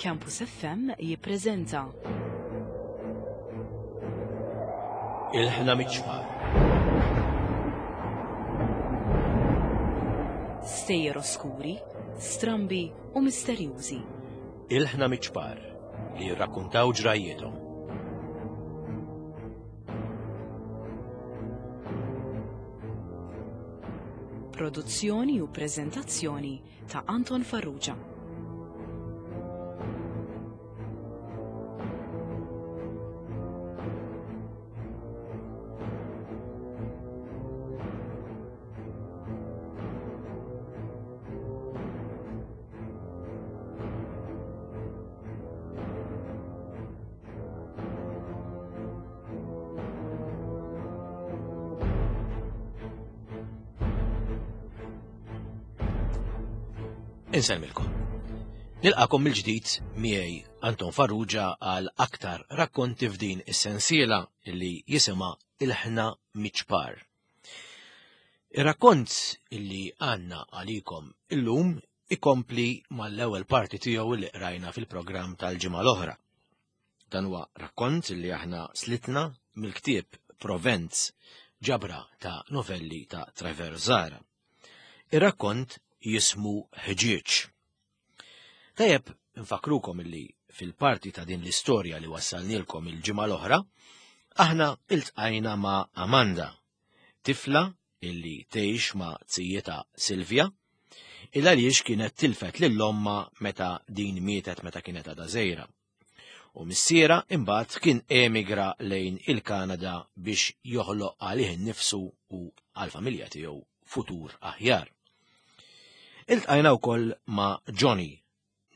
Campus FM jippreżenta. Il-ħna miċ-ċpar. Stejjer oskuri, strambi u misterjużi. Il-ħna miċ-ċpar li jirrakkuntaw ġrajjiethom. Produzzjoni u preżentazzjoni ta' Anton Farrugia. Insellmilkom. Nilqakom mill-ġdid miegħi Anton Farrugia għal aktar rakkonti f'din is-sensiela li jisimha Il-ħna miċ-ċpar. Ir-rakkont illi għandna għalikom illum ikompli mal-ewwel parti tiegħu li qrajna fil-programm tal-ġimgħa l-oħra. Dan huwa rakkont li aħna slitna mill-ktieb Provenz, ġabra ta' novelli ta' Trevor Zara. Ir-rakkont jismu Ħġieġ. Tajjeb nfakrukom illi fil-parti ta' din l-istorja li wassalnilkom il-ġimgħa l-oħra, aħna iltqajna ma' Amanda, tifla illi tgħix ma' zijietha Silvia, il għaliex kienet tilfet lil ommha meta din mietet meta kienet għadha żgħira. U missiera imbagħad kien emigra lejn il-Kanada biex joħloq għalih innifsu u għall-familja tiegħu futur aħjar. Iltqajna wkoll ma' Johnny,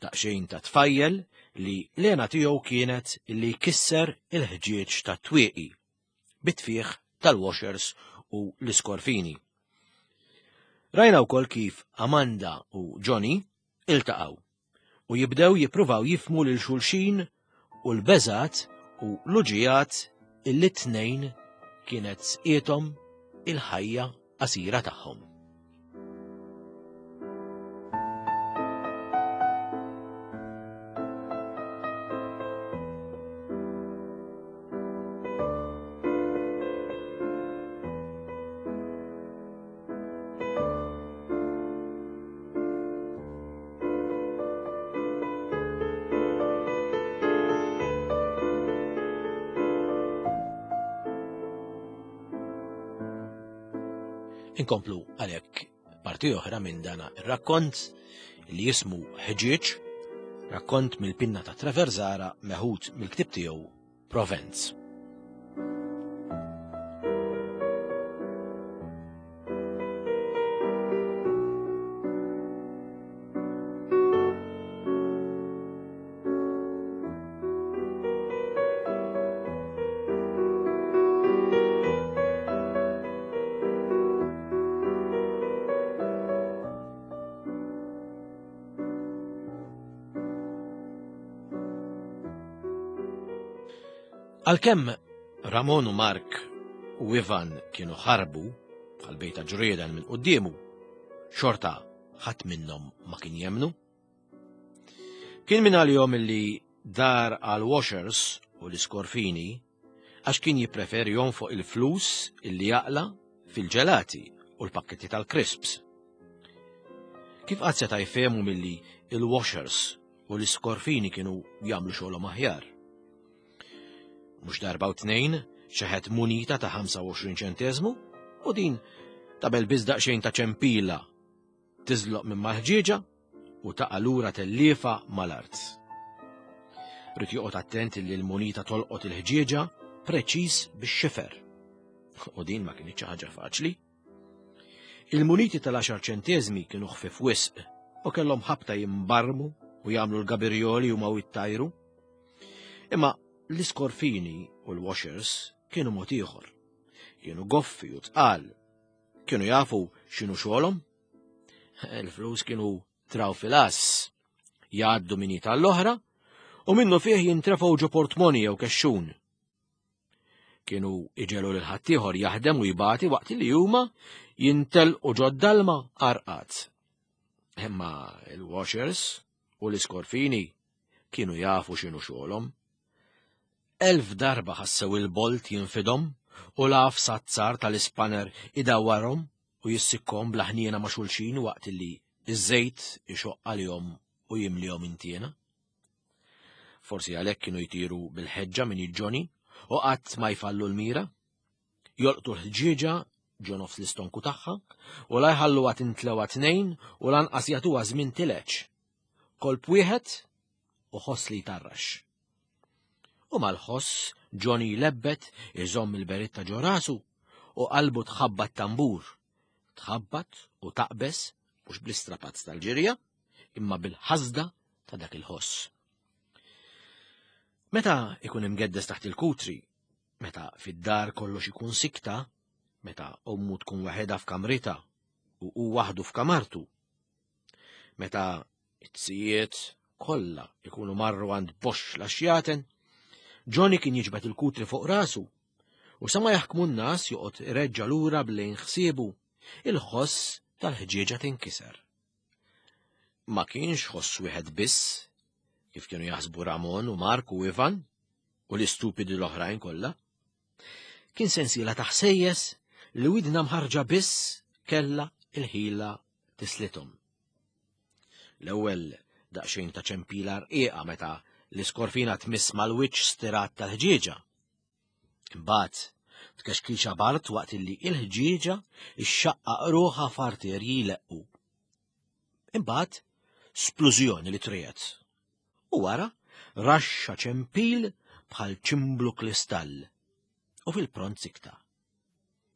daqsxejn ta' tfajjel li l-għena tiegħu kienet li jkisser il-ħġieġ tat-twieqi bit-tfieħ tal-washers u l-iskorfini. Rajna wkoll kif Amanda u Johnny iltaqgħu u jibdew jippruvaw jifmu lil xulxin u l-beżat u l-uġijat illi tnejn kienet sqiethom il-ħajja qasira tagħhom. Inkomplu għalhekk parti oħra minn dana ir-rakkont li jismu Ħġieġ, rakkont mill-pinna ta' Trevor Zara meħud mill-ktieb tiegħu Provenz. Għalkemm Ramon u Mark u Ivan kienu ħarbu bħal bejta ġrieden minn quddiemu, xorta ħadd minnhom ma kien jemnu. Kien minn għalihom illi dar għal washers u l-iskorfini għax kien jippreferi jonfoq il-flus illi jaqla fil-ġelati u l-pakketti tal-crisps. Kif qatt seta' jfehmu milli il-washers u l-iskorfini kienu jagħmlu xogħolhom aħjar? Mhux darba u tnejn xeħet munita ta' 25 ċenteżmu u din tabel biss daqsxejn ta' ċempila tiżloq minn mal-ħġieġa u taqa' lura telliefa mal-art. Rid joqgħod attent li l-munita tolqot il-ħġieġa preċiż bix-xifer. U din ma kinitx ħaġa faċli. Il-muniti tal-10 ċenteżmi kienu ħfif wisq u kellhom ħabta jimbarmu u jagħmlu l-gabirjoli u ma jittajru. Imma l-iskorfini u l-washers kienu mod ieħor. Kienu goffi u tqal Kienu jafu x'inhu xogħolhom? Il-flus kienu traw fil-ass, jgħaddu min tal-oħra u minnu fih jintrefgħu ġo portmoni jew kexxun. Kienu iġelu lil ħaddieħor jaħdem u jbati waqt li huma jintelqu ġod-dalma arqat. Imma il-washers u l-iskorfini. Kienu jafu x'inhu xogħolhom. Elf darba ħassew il-bolt jinfidhom u l-għafsa t-tsar tal-ispanner idawwarhom u jissikkhom bla ħniena ma' xulxin waqt li ż-żejt ixoqq għalihom u jimlihom intiena. Forsi għalhekk kienu jtiru bil-ħeġġa minn Johnny u qatt ma jfallu l-mira. Jolqtu l-ħġieġa ġo nofs l-istonku tagħha u la jħalluha tintlewa tnejn u lanqas jagħtuha żmien tileġ. Kolp wieħed u ħoss li jtarrax. U mal-ħoss Johnny jlebbet iżomm il-beritta ġo rasu u qalbu tħabbat tambur. Tħabbat u taqbeż mhux bl-istrapazz tal-ġirja, imma bil-ħasda ta' dak il-ħoss. Meta ikun imgeddes taħt il-kutri, meta fid-dar kollox ikun sikta, meta ommu tkun waħedha f'kamritha u hu waħdu f'kamartu, meta it-sijiet kollha ikunu marru għand box la xjaten, Johnny kien jiġbed il-kutri fuq rasu u sa ma jaħkmu n-nas joqgħod ireġġa' lura b'lejn ħsiebu il-ħoss tal-ħġieġa tinkiser. Ma kienx ħoss wieħed biss, kif kienu jaħsbu Ramon u Mark u Ivan u l-istupidi l-oħrajn kollha. Kien sensiela ta' ħsejjes li widna mħarġa biss kella il-ħila tislithom. L-ewwel daqsxejn ta' ċempila rqiqa meta l-iskorfina tmiss mal-wiċċ stirat tal-ħġieġa. Imbagħad tkexkixa bart waqt illi il-ħġieġa ixxaqqaq ruħha f'arterji jleqqu. Imbagħad splużjoni li triet. U wara raxxa ċempil bħal ċimblu kristall u fil-pront sikta.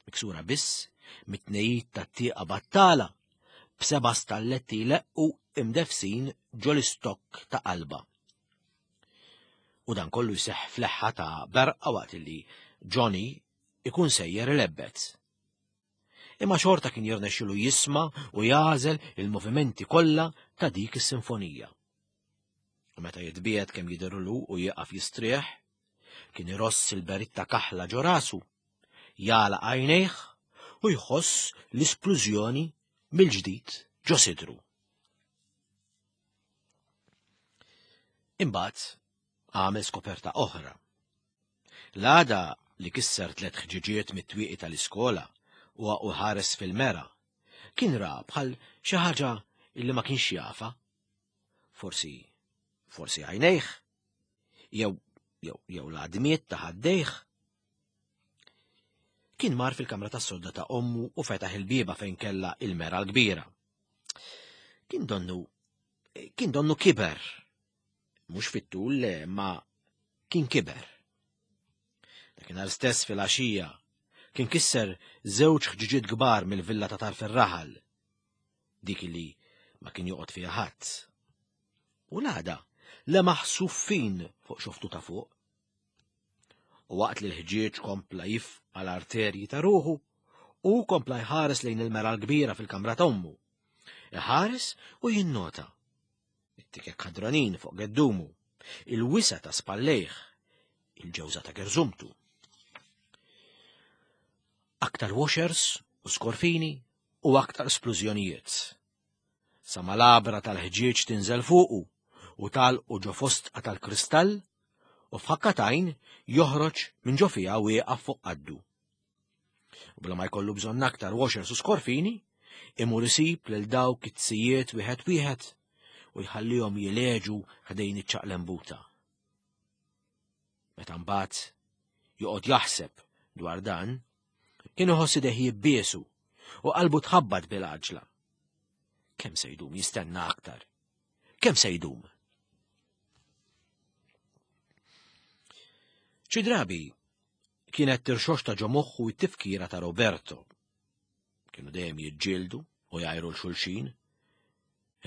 Miksura biss mit-tnejjid tat-tieqa battala b'seba' stalletti jleqqu imdefsin ġol-istokk ta' qalba. U dan kollu jseħħ fleħħa ta' berqa waqt li Johnny ikun sejjer ilebbet. Imma xorta kien jirnexxilu jisma' u jagħżel il-movimenti kollha ta' dik is-sinfonija. U meta jitbiegħed kemm jidhirlu u jieqaf jistrieħ, kien iross il-beritta kaħla ġo rasu, jagħlaq għajnejh u jħoss l-isplużjoni mill-ġdid ġo sidru. Imbagħad għamel skoperta oħra. L-għada li kisser tlet ħġiġiet mit-twieqi tal-iskola u u ħares fil-mera, kien ra bħal xi ħaġa illi ma kienx jafa. Forsi, forsi għajnejh, jew jew jew l-għadmiet ta' ħaddejh. Kien mar fil-kamra tas-sodda ta' ommu u fetaħ il-bieba fejn kella il-mera l-kbira. Kien donnu kien donnu kiber. Mhux fit-tul le, ma kien kiber. Dakinhar stess fil-għaxija kien kisser żewġ ħġiġiet kbar mill-villa ta' tarf ir-raħal. Dik li ma kien joqgħod fiha ħadd. U l-għada lemaħ suffin fuq xoftu ta' fuq. U waqt li l-ħġieġ kompla jifqa l-arterji ta' ruħu, u kompla jħares lejn il-mera l-kbira fil-kamra ta' ommu. Iħares u jinnota. It-tikek ħadranin fuq geddumu, il-wisa ta' spallejh, il-ġewża ta' gerżumtu. Aktar washers u skorfini u aktar splużjonijiet. Sa ma l-għabra tal-ħġieġ tinżel fuqu u tagħlqu ġo fostqa tal-kristall u f'ħakka t'għajn joħroġ minn ġo fiha wieqaf fuq qaddu. U bla ma jkollu bżonn aktar washers u skorfini, imur isib lil dawk it-tzijiet wieħed wieħed u jħallihom jileġu ħdejn iċ-ċaqlembuta. Meta mbagħad joqgħod jaħseb dwar dan, kien iħoss idejh jibbiesu u qalbu tħabbat bil-għaġla. Kemm se jdum jistenna aktar? Kemm se jdum? Xi drabi kienet tirxoxta ġo moħħu t-tifkira ta' Roberto. Kienu dejjem jiġġieldu u jgħajru l-xulxin,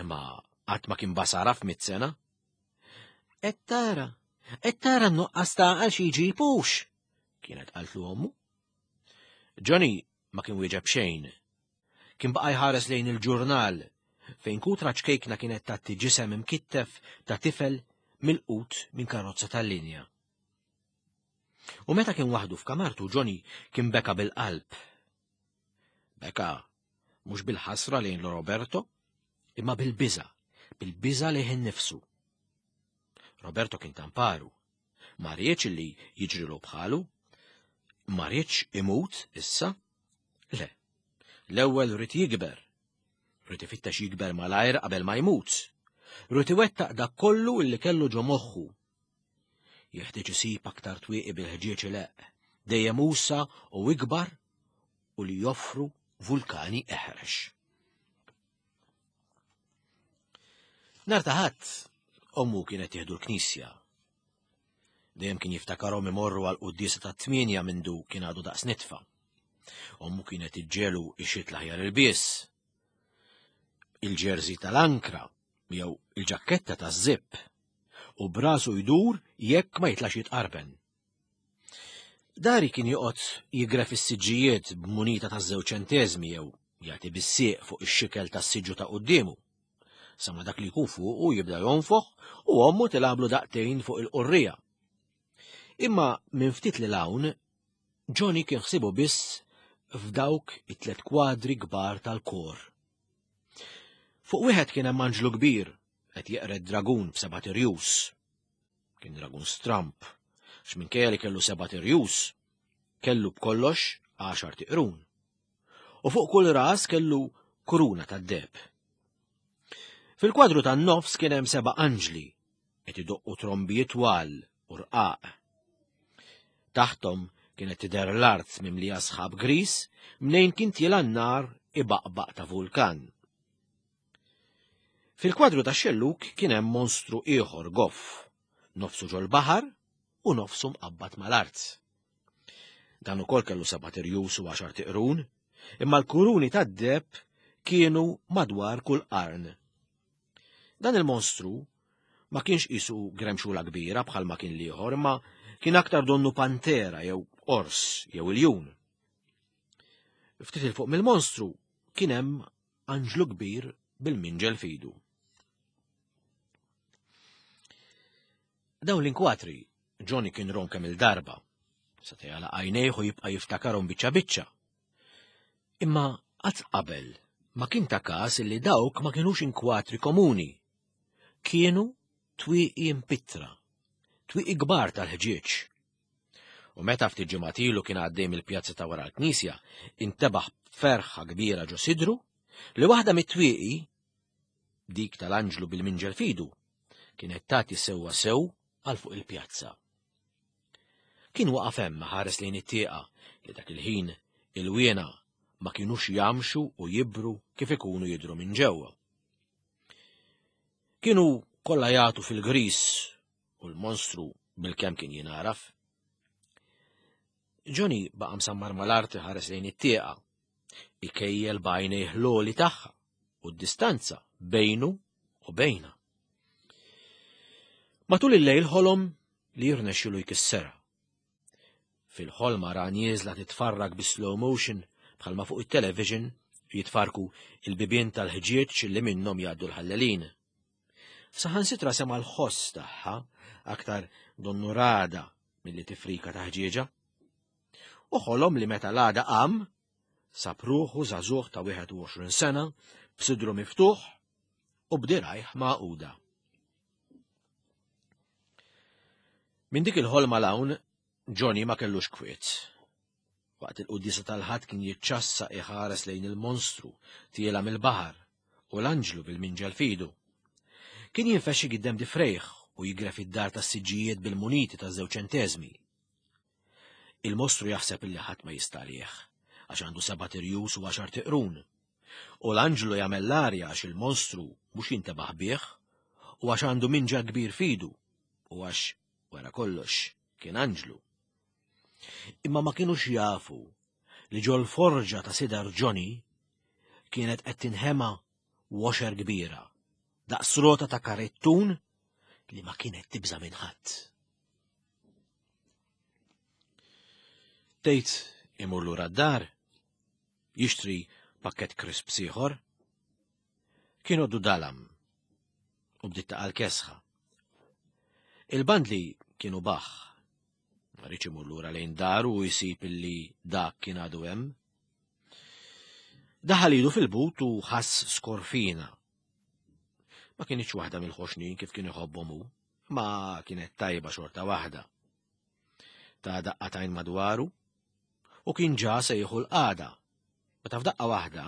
imma qatt ma kien basara f'mit sena. Qed tara, qed tara n-nuqqas ta' għal xi jġibux, kienet qaltlu ommu. Johnny ma kien wieġeb xejn. Kien baqa' jħares lejn il-ġurnal fejn kutra ċkejkna kienet tagħti ġisem imkittef ta' tifel milqut minn karozza tal-linja. U meta kien waħdu f'kamartu Johnny kien beka bil-qalb. Beka mhux bil-ħasra lejn Roberto, imma bil-biża, bil-biża lejh innifsu. Roberto kien tamparu. Ma riedx li jiġrilu bħalu. Ma riedx imut issa. Le. L-ewwel ried jikber. Ried ifittex jikber malajr qabel ma jmut. Ried iwettaq dak kollu illi kellu ġo moħħu. Jeħtieġ isib aktar twieqi bil-ħġieġ ileqq, dejjem usa u ikbar u li joffru vulkani eħrex. Nhar ta' Ħadd, ommu kienet tieħdu l-knisja. Dejjem kien jiftakarhom imorru għal quddiesa tat-tmienja mindu kien għadu daqs nitfa. Ommu kienet iġġelu ixit l-aħjar ilbies, il-ġerżi tal-ankra jew il-ġakketta taż-żipp u brasu jdur jekk ma jitlax jitqarben. Dari kien joqgħod jigref is-siġġijiet b'munita ta' żewġ ċenteżmi jew jagħti bis-sieq fuq ix-xikel tas-siġġu ta' quddiemu. Sa ma dak li jkun fuqu jibda jonfoħ u ommu tilablu daqtejn fuq il-qurrija. Imma minn ftit li hawn, Johnny kien ħsibu biss f'dawk it-tlet kwadri kbar tal-kor. Fuq wieħed kien hemm anġlu kbir qed jeqred dragun b'seba' tirjus. Kien dragun stramp, għax minkejja li kellu sebat irjus, kellu b'kollox għaxar tiqrun. U fuq kull ras kellu kuruna tad-deb. Fil-kwadru tan-nofs kien hemm seba' anġli qed idoqqu trombi twal u rqaq. Taħtom kienet tidher l-art mimlija sħab gris mnejn kien tiela n-nar ibaqbaq ta' vulkan. Fil-kwadru ta' xelluk kien hemm monstru ieħor goff, nofsu ġol-baħar u nofsu mqabbad mal-art. Dan ukoll kellu seba' tirjus u għaxar tiqrun, imma l-kuruni tad-deb kienu madwar kull qarn. Dan il-monstru ma kienx qisu gremxula kbira bħalma kien l-ieħor, imma kien aktar donnu pantera jew ors jew iljun. Ftit il fuq mill-monstru kien hemm anġlu kbir bil-minġel fidu. Dawn l-inkwatri Johnny kien rom kemm il-darba, sa jagħlaq għajnejh u jibqa' jiftakarhom biċċa biċċa. Imma qatt qabel ma kien ta' każ li dawk ma kinux inkwatri komuni. Kienu twieqi impittra, twieqi kbar tal-ħġieġ. U meta ftit ġimgħat ilu kien għaddej mill-pjazza ta' wara l-knisja, intebaħ b'ferħa kbira ġo sidru li waħda mit-twieqi, dik tal-anġlu bil-minġel fidu, kienet tagħti sewwa sew għal fuq il-pjazza. Kien waqaf hemm ħares lejn it-tieqa li dak il-ħin il-wiena ma kinux jamxu u jibru kif ikunu jidru minn ġewwa. Kienu kollha jagħtu fil-gris u l-monstru bilkemm kien jingħaraf. Johnny baqa' msammar mal-art iħares lejn it-tieqa, ikejjel b'għajnejh l-għoli tagħha u d-distanza bejnu u bejna. Matul il-lejl ħolom li jirnexxilu jkisserha. Fil-ħolma ra nieżla titfarrak bi slow motion bħalma fuq it-television jitfarku il-bibien tal-ħġieġ li minnhom jgħaddu l-ħallelin. Saħansitra sema' l-ħoss tagħha aktar donnu rada milli tifrika ta' ħġieġa. U ħolom li meta l-għada qam, sab ruħu żagħżugħ ta' 21 sena b'sidru miftuħ u b'dirajh magħquda. Minn dik il-ħolma l-hawn, Johnny ma kellux kwiet. Waqt il-quddiesa tal-Ħadd kien jiċċassa iħares lejn il-monstru tiela mill-baħar u l-anġlu bil-minġel fidu. Kien jinfexxi giddem difrejh u jigref id-dar tas-siġġijiet bil-muniti ta' żewġ ċenteżmi. Il-mostru jaħseb illi ħadd ma jista' għalih, għax għandu seba' tirjus u għaxar tiqrun. U l-anġlu jagħmel l-arja għax il-monstru mhux jintebaħ bih u għax għandu minġel kbir fidu u għax wara kollox kien anġlu. Imma ma kinux jafu li ġol forġa ta' sidar Johnny kienet qed tinħema washer kbira, daqs rota ta' karettun li ma kienet tibża' minn ħadd. Tgħid imur lura d-dar, jixtri pakkett crisps ieħor. Kien għoddu dalam u bdiet taqa' l-kesħa. Il-bandli kienu baħ. Ma rridx imur lura lejn daru u jsib illi dak kien għadu hemm. Daħal idu fil-but u ħass skorfina. Ma kienx waħda mill-ħoxnin kif kien iħobbhom hu. Ma kienet tajba xorta waħda. Ta' daqqatajn madwaru u kien ġa se jieħu l-qagħda. Meta f'daqqa waħda,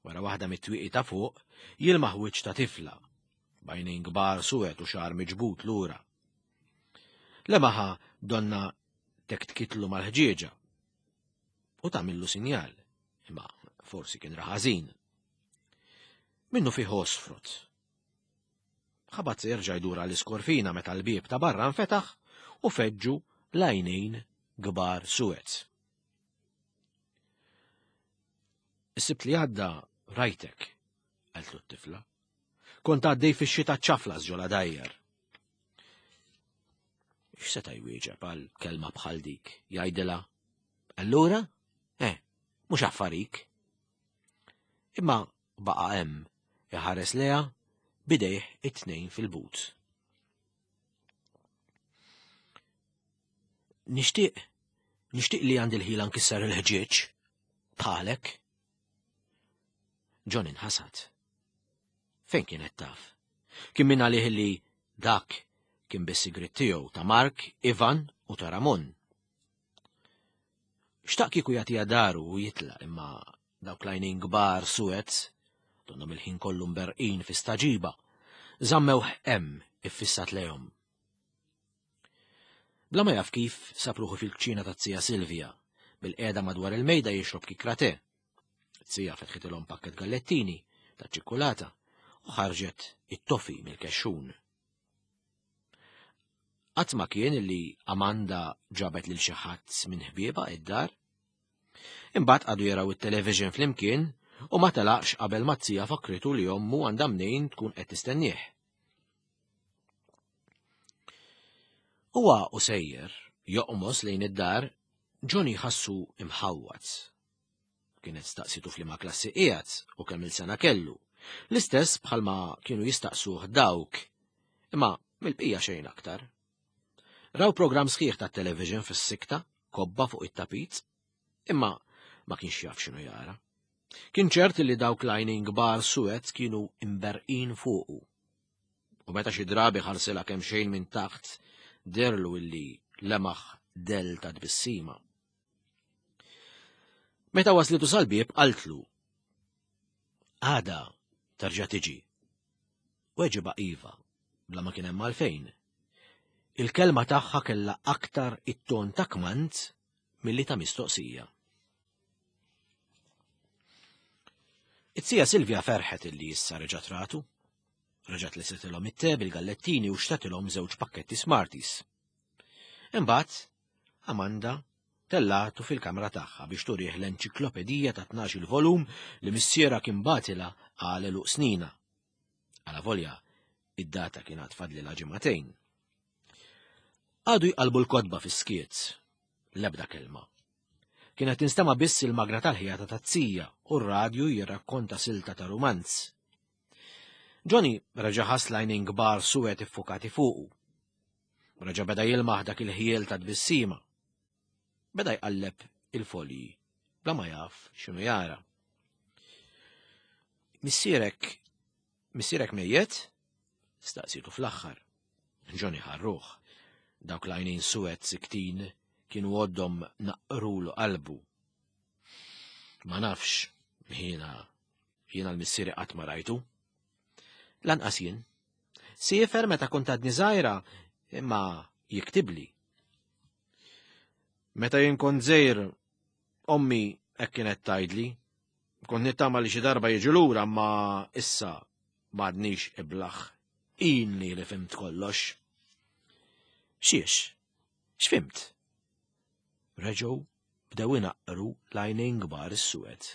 wara waħda mit-twieqi ta' fuq, jilmaħ wiċċ ta' tifla, b'għajnejn kbar suwed u xagħar miġbud lura. Lemaħa donna tektkitlu mal-ħġieġa u tagħmillu sinjal, imma forsi kien raħażin. Minnu fih osfrot. Ħabat se jerġa' jdur għall-iskorfina meta l-bieb ta' barra nfetaħ u feġġu l-għajnejn kbar suwed. Is-sibt li għadda rajtek, qaltlu t-tifla. Kont għaddej fix-xita ċaflas ġola dajjar. X'seta' jwieġeb għal kelma bħal dik? Jgħidilha, allura? Eh, mhux affarik. Imma baqa' hemm iħares leha bidejh it-tnejn fil-but. Nixtieq, nixtieq li għandi l-ħila nkisser il-ħġieġ, bħalek. John inħasad. Fejn kienet taf? Kien minn għalih li dak kien biss sigrit tiegħu ta' Mark, Ivan u ta' Ramon. Xtaq kieku jagħtiha daru u jitlaq imma dawk l-għajnejn kbar suwed, donnhom il-ħin kollu mberqin fi staġiba, żammewh hemm iffissat lejhom. Bla ma jaf kif sab ruħu fil-kċina taz-zija Silvia, bil-qiegħda madwar il-mejda jixrob kikra te. Zija fetħitilhom pakket gallettini ta' ċikkulata u ħarġet it-tofi mill-kexxun. Qatt ma kien li Amanda ġabet lil xi ħadd minn ħbiebha id-dar. Imbagħad qagħdu jaraw it-television flimkien u ma telaqx qabel ma z-zija fakkritu li ommu għandha mnejn tkun qed tistennieh. Huwa u sejjer joqmos lejn id-dar, Johnny ħassu imħawwad. Kienet staqsitu f'liema klassi qiegħed u kemm-il sena kellu. L-istess bħalma kienu jistaqsuh dawk. Imma mill-bqija xejn aktar. Raw programm sħiħ tat-television fis-sikta, kobba fuq it-tapit, imma ma kienx jaf x'inhu jara. Kien ċert li dawk l-għajnejn kbar suwed kienu imberqin fuqu. U meta xi drabi ħarsilha kemm xejn minn taħt, derlu illi lemaħ del ta' tbissima. Meta waslitu sal-bieb qaltlu, Għada terġa' tiġi. Weġiba iva, bla ma kien hemm għalfejn. Il-kelma tagħha kellha aktar it-ton ta' kmand milli ta' mistoqsija. It-sija Silvia ferħet illi issa reġgħet ratu. Reġgħet li sitilhom it-te bil-gallettini u xtatilhom żewġ pakketti Smarties. Imbagħad Amanda tellgħatu fil-kamra tagħha biex turih l-enċiklopedija ta' 12 volum li missierha kien batilha għal għeluq snina. Alavolja, id-data kien għad fadlilha ġimagħtejn. Għadu jqalbu l-kotba fis-skiet, l-ebda kelma. Kienet tinstema' biss il-magra tal-ħjata taz-zija u r-radju jirrakkonta silta ta' rumanz. Johnny reġa' ħass l-għajnejn kbar suwed iffukati fuqu. Reġa' beda jilmaħ dak il-ħjiel ta' tbissima. Beda jqalleb il-folji bla ma jaf x'inhu jara. Missierek, missierek mejjet? Staqsitu fl-aħħar. Johnny ħarruħ. Dawk l-għajnejn suwed siktin kienu għoddhom naqrulu qalbu. Ma nafx, jiena jiena l-missieri qatt ma rajtu. Lanqas jien. Siefer meta kont għadni żgħira, imma jiktibli. Meta jien kont żgħir, ommi hekk kienet tgħidli. Kont nittama li xi darba jiġi lura, ma issa m'għadnix iblaħ. Ilni li fimt kollox. Xiex? X'fimt? Reġgħu bdew inaqqru l-għajnejn kbar is-suwed.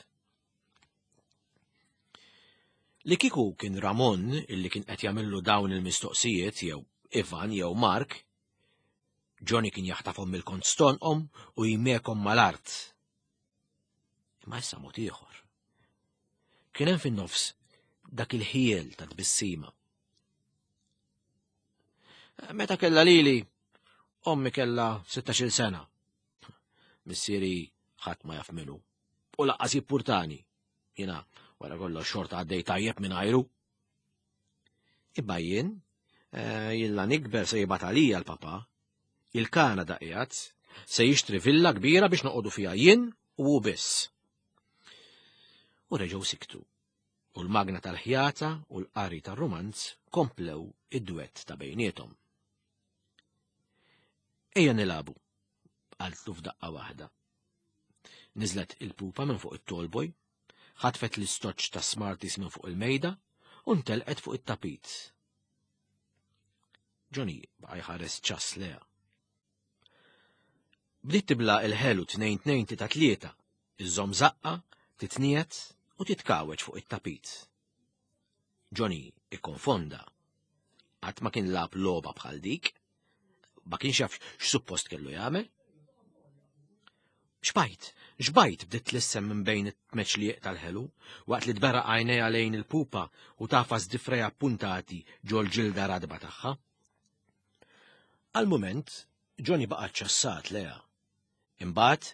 Li kieku kien Ramon illi kien qed jagħmillu dawn il-mistoqsijiet jew Ivan jew Mark, Johnny kien jaħtafhom mill-kont stonqhom u jmekhom mal-art. Imma issa mod ieħor. Kien hemm fin-nofs dak il-ħiel ta' tbissima. Meta kella lili, ommi kella 16 sena. Missieri ħadd ma jaf minnu. U laqqas jippurtani. Jiena wara kollox xorta għaddej tajjeb minn ajru. Imma jien, Eh, jilla nikber se jibgħat għalija l-papa. Il-Kanada qiegħed se jixtri villa kbira biex noqogħdu fiha jien u hu biss. U reġgħu siktu. U l-magna tal-ħjata u l-qari tar-rumanz komplew id-dwett ta' bejniethom. Ejja nilagħbu, qaltlu f'daqqa waħda. Niżlet il-pupa minn fuq it-tallboy, ħatfet l-istoċ ta' Smarties minn fuq il-mejda u ntelqet fuq it-tapit. Johnny baqa' jħares ċass leha. Bdiet tibla il-ħelu tnejn tnejn tita tlieta, iżżomm żaqqa, titniet u titkawweġ fuq it-tapit. Johnny ikkonfonda. Qatt ma kien lagħab logħba bħal dik. Ma kienx jaf x'suppost kellu jagħmel. Xbajt, xbajt bdiet tlissem minn bejn it-tmeċliq tal-ħelu, waqt li tberraq għajnejha lejn il-pupa u tafas difrejha ppuntati ġol-ġilda radba tagħha. Għal mument, Johnny baqa' ċassat leha. Imbagħad,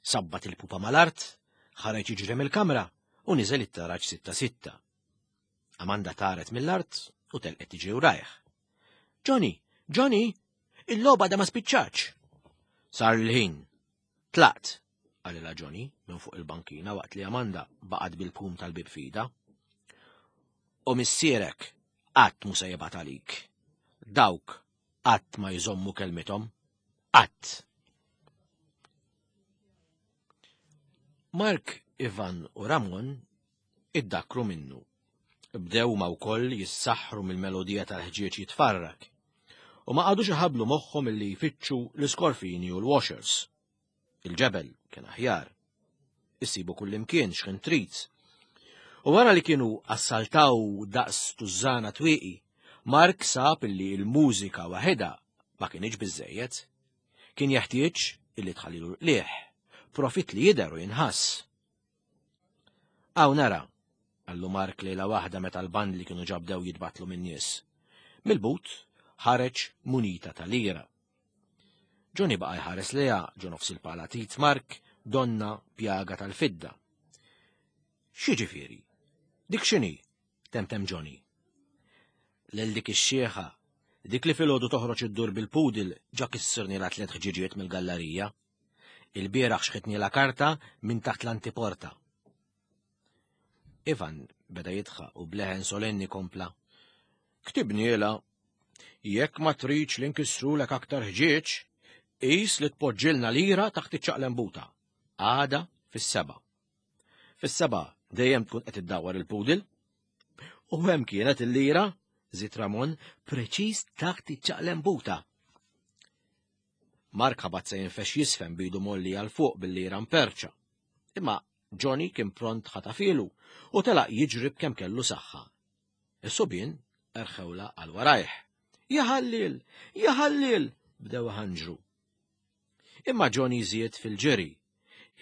sabbat il-pupa mal-art, ħareġ jiġri mill-kamra u niżel it-taraġ sitta sitta. Amanda taret mill-art u telqet tiġri wrajh. Johnny, Johnny, il-logħba da ma spiċċax. Sar l-ħin. Tlaqt, qalilha Johnny minn fuq il-bankina waqt li Amanda baqgħet bil-pum tal-bib fida. U missierek qatt mu se jibgħat għalik. Dawk qatt ma jżommu kelmithom. Qatt. Mark, Ivan u Ramon iddakkru minnu. Bdew huma wkoll jissaħħru mill-melodija tal-ħġieġ jitfarrak. U ma qagħdux iħabblu moħħhom illi jfittxu l-iskorfini u l-washers. Il-ġebel kien aħjar. Issibu kullimkien x'ħin trid. U wara li kienu assaltaw daqs tużżana twieqi, Mark sab illi l-mużika waħedha ma kinitx biżżejjed. Kien jeħtieġ illi tħallilu l-qligħ, profitt li jidher u jinħass. Hawn nara, qallu Mark lejla waħda meta l-bandli kienu ġa bdew jitbattlu min-nies. Mill-but ħareġ munita ta' lira. Johnny baqa' jħares lejha ġo nofs il-pala tit Mark donna pjaga tal-fidda. X'jiġifieri? Dik x'inhi? temtem Johnny. Lil dik ix-xieħa, dik li filgħodu toħroġ iddur bil-pudil ġa kissirnilha tliet ħġiġiet mill-gallarija. Il-bieraħ xħitnilha karta minn taħt l-antiporta. Ivan beda jidħaq u bleħen solenni kompla. Ktibnielha, jekk ma tridx li nkissrulek aktar ħġieġ, qis li tpoġġilna lira taħt iċ-ċaqlembuta. Għada fis-seba'. Fis-seba' dejjem tkun qed iddawwar il-pudil. U hemm kienet il-lira, żied Ramon, preċiż taħt iċ-ċaqlembuta. Mark ħabat se jinfex jisfen bidu molli għal fuq bil-lira mperċa. Imma Johnny kien pront ħatafilu u telaq jiġri b'kemm kellu saħħa. Is-subien erħewla għal warajh. Jaħallil! Jaħallil! bdew ħanġru. Imma Johnny żied fil-ġiri,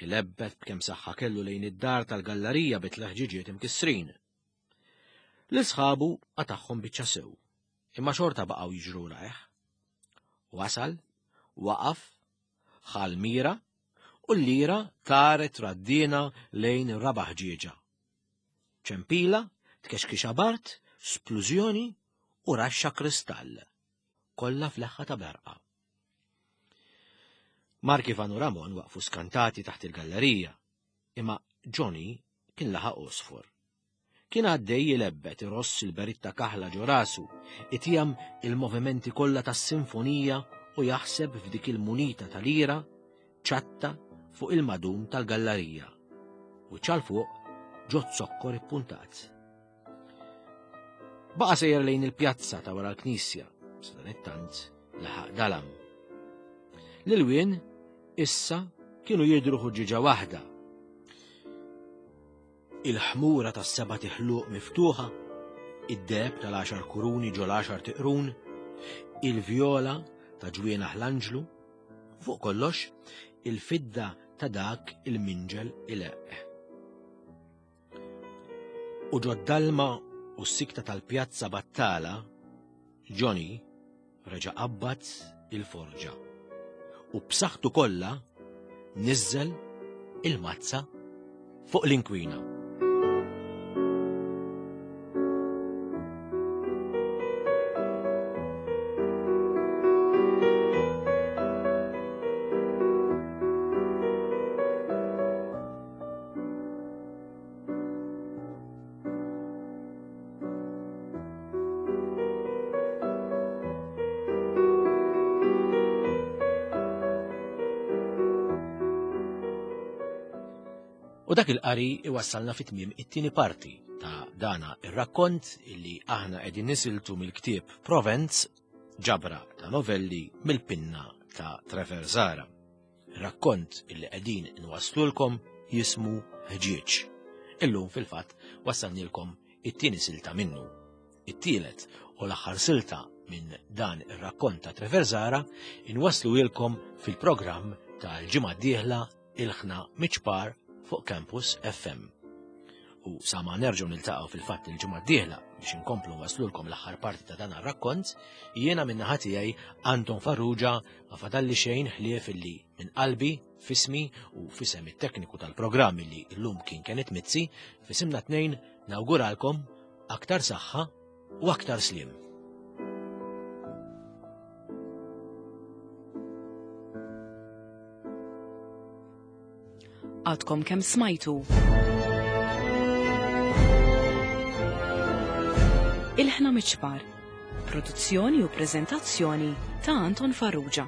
ilebbet b'kemm saħħa kellu lejn id-dar tal-gallarija bi tleħġiġiet imkissrin. Lil sħabu qatagħhom biċċa sew, imma xorta baqgħu jiġru rajh. Wasal, waqaf, ħa l-mira u l-lira taret raddina lejn ir-raba' ħġieġa. Ċempila, tkexkixa bart, splużjoni u raxxa kristall. Kollha f'leħħa ta' berqa. Mark Ivan u Ramon waqfu skantati taħt il-gallerija, imma Johnny kien laħaq għosfor. Kien għaddej jilebbet iross il-beritta kaħla ġo rasu, itiegħem il-movimenti kollha tas-sinfonija u jaħseb f'dik il-munita ta' lira ċatta fuq il-madum tal-gallarija u ċal fuq ġo zokkor ippuntat. Baqa' sejjer lejn il-pjazza ta' wara l-knisja, sadanittant laħaq dalam. L-ilwien issa kienu jidhru ħuġġiġa waħda Il-ħmura tas-sebat iħluq miftuħa, id-deheb tal-għaxar kuruni ġo l-għaxar tiqrun, il-vjola ta' ġwienaħ l-anġlu, u fuq kollox il-fidda ta' dak il-minġel ileqq. U ġod-dalma u s-sikta tal-pjazza battala, Johnny reġa' qabbad il-forġa u b'saħħtu kollha niżżel il-mazza fuq l-inkwina. U dak il-qari iwassalna fi tmiem it-tieni parti ta' dana ir-rakkont illi aħna qegħdin nisiltu mill-ktieb Provenz, ġabra ta' novelli mill-pinna ta' Trevor Zara. Rakkont illi qegħdin inwasslulkom jismu Ħġieġ. Illum fil-fatt wassalnilkom it-tieni silta minnu. It-tielet u l-aħħar silta minn dan ir-rakkont ta' Trevor Zara inwassluhielkom fil-programm tal-ġimgħa d-dieħla Ilħna Miċpar fuq Campus FM. U sa ma nerġgħu niltaqgħu fil-fatt il-ġimgħa d-dieħla biex inkomplu waslulkom l-aħħar parti ta' dan ar-rakkont, jiena min-naħa tiegħi Anton Farrugia ma fadalli xejn ħlief illi minn qalbi, fismi u fisem it-tekniku tal-programm illi llum kien Kenneth Mizzi, fisimna tnejn nawguralkom aktar saħħa u aktar sliem. Għadkom kemm smajtu. Ilħna Miċpar. Produzzjoni u preżentazzjoni ta' Anton Farrugia.